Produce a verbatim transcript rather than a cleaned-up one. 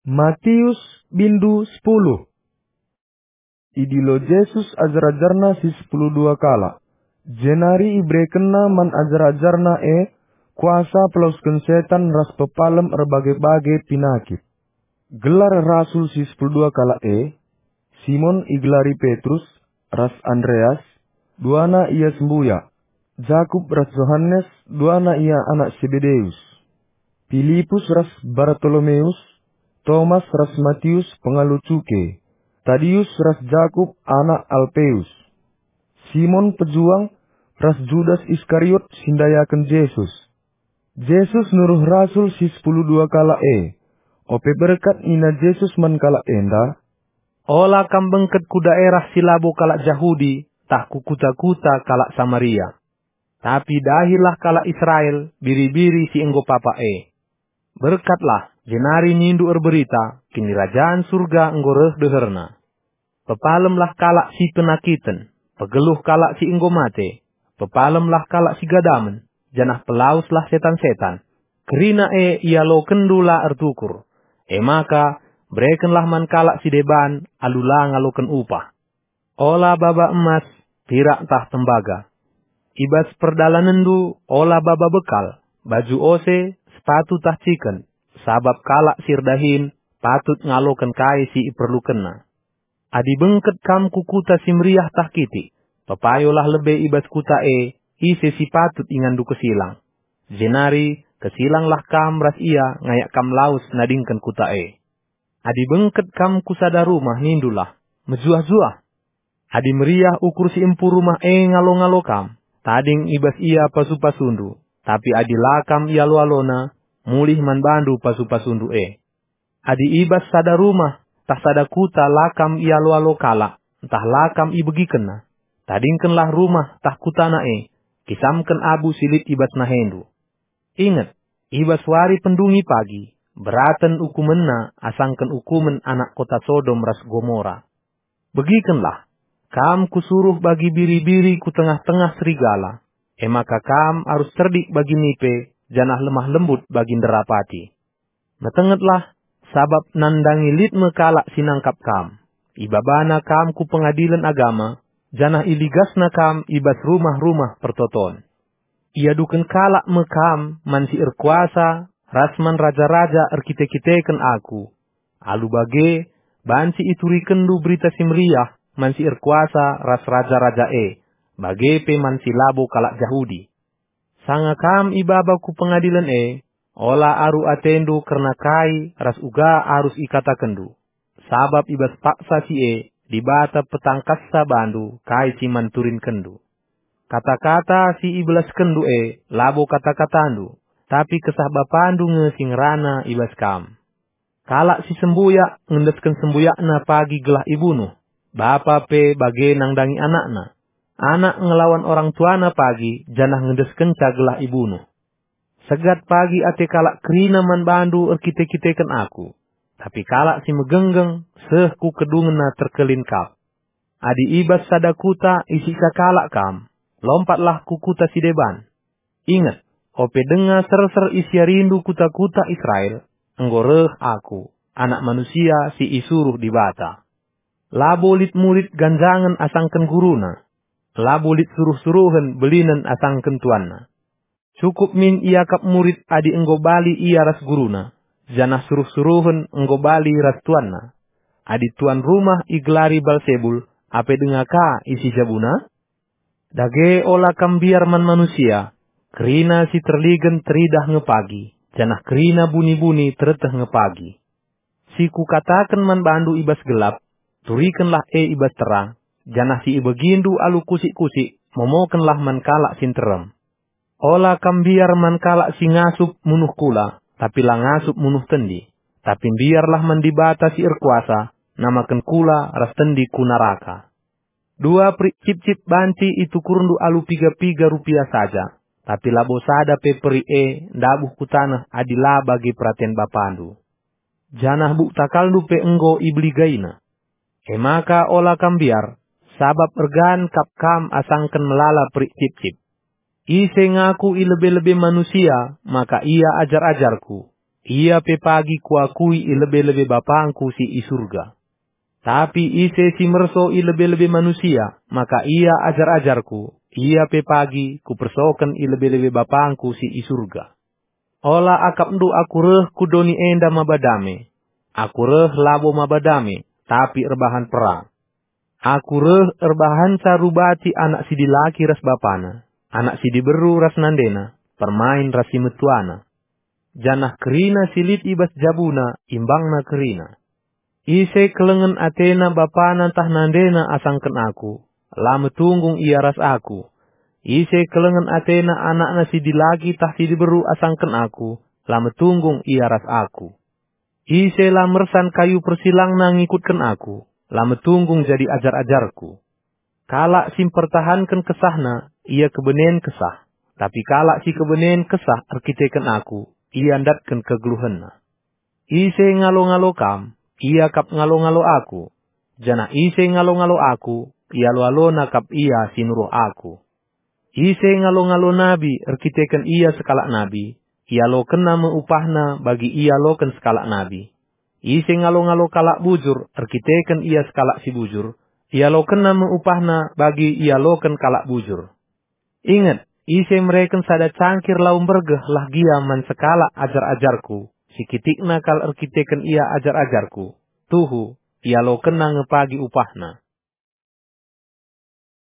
Matius bindu sepuluh. Idilo Jesus ajar-ajarNa si sepuluh dua kalak, jenari iberekenNa man ajar-ajarNa e kuasa pelawesken setan ras pepalem erbage-bage pinakit. Gelar rasul si sepuluh dua kalak e: Simon igelari Petrus, ras Andreas, duana ia sembuyak, Jakup ras Johanes, duana ia anak Sebedeus, Pilipus ras Bartolomeus, Tomas ras Matius pengalo cuke, Tadius ras Jakup anak Alpeus, Simon pejuang, ras Judas Iskariot si ndayaken Jesus. Jesus nuruh rasul si sepuluh dua kalak e. Ope berkat nina Jesus man kalak enda, "Ola kam bengket ku daerah si labo kalak Jahudi tah ku kuta-kuta kalak Samaria. Tapi dahilah kalak Israel biri-biri si enggo papak e. Berkatlah, jenari nindu erberita, Kinirajan Surga enggo reh deherna. Pepalemlah kalak si penakiten, pegeluh kalak si enggo mate, pepalemlah kalak si gadamen, janah pelaweslah setan-setan. Kerina e ialokenndu la ertukur. E maka, berekenlah man kalak si deban alu la ngaloken upah. Ola baba emas, pirak ntah tembaga. I bas perdalanenndu ola baba bekal, baju ose, sepatu ntah ciken, sabap kalak si erdahin patut ngaloken kai si iperlukenna. Adi bengket kam ku kuta si meriah ntah kitik, pepayolah lebe i bas kuta e ise si patut inganndu kesilang. Jenari kesilanglah kam ras ia ngayak kam lawes nadingken kuta e. Adi bengket kam ku sada rumah, nindulah, 'Mejuah-juah!' Adi meriah ukur si empu rumah e ngalo-ngalo kam, tading i bas ia pasu-pasundu, tapi adi la kam ialo-alona, mulih man bandu pasu-pasundu e. Adi i bas sada rumah ntah sada kuta la kam ialo-alo kalak, ntah la kam ibegikenna, tadingkenlah rumah ntah kutana e, kisamken abu si lit i bas nahendu. Inget, i bas wari pendungi pagi, beraten ukumenna asangken ukumen anak kota Sodom ras Gomora. Begikenlah, kam kusuruh bagi biri-biri ku tengah-tengah serigala, e maka kam arus cerdik bagi nipe, janah lemah lembut bagi nderapati. Metengetlah, sabap nandangi lit me kalak si nangkap kam. Ibabana kam ku pengadilen agama, janah iligasna kam i bas rumah-rumah pertoton. Iaduken kalak me kam man si erkuasa ras man raja-raja erkite-kiteken aku. Alu bage, banci iturikenndu Berita Si Meriah man si erkuasa ras raja-raja e, bage pe man si labo kalak Jahudi. Sanga kam ibaba ku pengadilen e, ola aru atendu kerna kai ras uga arus ikatakenndu, sabap i bas paksa si e Dibata petangkassa bandu kai si man turinkenndu. Kata-kata si ibelaskenndu e labo kata-katandu, tapi Kesah Bapandu nge si ngerana i bas kam. Kalak si sembuyak ngendesken sembuyakna pagi gelah ibunuh, bapa pe bage nandangi anakna. Anak ngelawan orang tuana pagi janah ngendeskenca gelah ibunuh. Segat pagi ate kalak kerina man bandu erkite-kiteken aku, tapi kalak si megenggeng seh ku kedungenna terkelin kap. Adi i bas sada kuta isiksa kalak kam, lompatlah ku kuta si deban. Inget, ope denga serser isiarindu kuta-kuta Israel, enggo reh Aku, Anak Manusia si isuruh Dibata. Labo lit murid ganjangen asangken guruna, labo lit suruh-suruhen belinen asangken tuanna. Cukup min iakap murid adi enggo bali ia ras guruna, janah suruh-suruhen enggo bali ras tuanna. Adi tuan rumah igelari Balsebul, ape denga ka isi jabuna? Dage ola kam mbiar man manusia, kerina si terligen teridah nge pagi, janah kerina buni-buni tereteh nge pagi. Si Kukataken man bandu i bas gelap, turikenlah e i bas terang, janah si ibegindu alu kusik-kusik, momokenlah man kalak si nterem. Ola kam mbiar man kalak si ngasup munuh kula, tapi la ngasup munuh tendi. Tapi mbiarlah man Dibata si erkuasa namaken kula ras tendi ku naraka. Dua perik cipcip banci itukurndu alu piga-piga rupia saja, tapi labo sada pe perik e ndabuh ku taneh adi la bagi peraten Bapandu. Janah buk takalndu pe enggo ibeligaina. E maka ola kam mbiar, sabap ergan kap kam asangken melala perik cipcip. Ise ngaku i lebe-lebe manusia maka ia ajar-ajarKu, ia pe pagi kuakui i lebe-lebe BapangKu si i Surga. Tapi ise si merso i lebe-lebe manusia, maka ia ajar-ajarKu, ia pe pagi Kupersoken i lebe-lebe BapangKu si i Surga. Ola akapndu Aku reh ku doni enda maba dame. Aku reh labo maba dame, tapi erbahan perang. Aku reh erbahanca rubati anak si dilaki ras bapana, anak si diberu ras nandena, permain ras si metuana. Janah kerina si lit i bas jabuna imbangna kerina. Ise kelengen atena bapana ntah nandena asangken Aku, la metunggung ia ras Aku. Ise kelengen atena anakna si dilaki tah si diberu asangken Aku, la metunggung ia ras Aku. Ise la mersan kayu persilangna ngikutken Aku, la metunggung jadi ajar-ajarKu. Kalak si mpertahanken kesahna, ia kebenen kesah, tapi kalak si kebenen kesah erkiteken Aku, ia ndatken kegeluhenna. Ise ngalo-ngalo kam, ia kap ngalo-ngalo Aku, janah ise ngalo-ngalo Aku, ialo-alona kap ia si nuruh Aku. Ise ngalo-ngalo nabi erkiteken ia sekalak nabi, ialokenna me upahna bagi ialoken sekalak nabi. Ise ngalo-ngalo kalak bujur erkiteken ia sekalak si bujur, ialokenna me upahna bagi ialoken kalak bujur. Inget, ise mereken sada cangkir lau mbergeh lah gia man sekalak ajar-ajarKu, si kitikna kal erkiteken ia ajar-ajarKu, tuhu, ialokenna nge pagi upahna.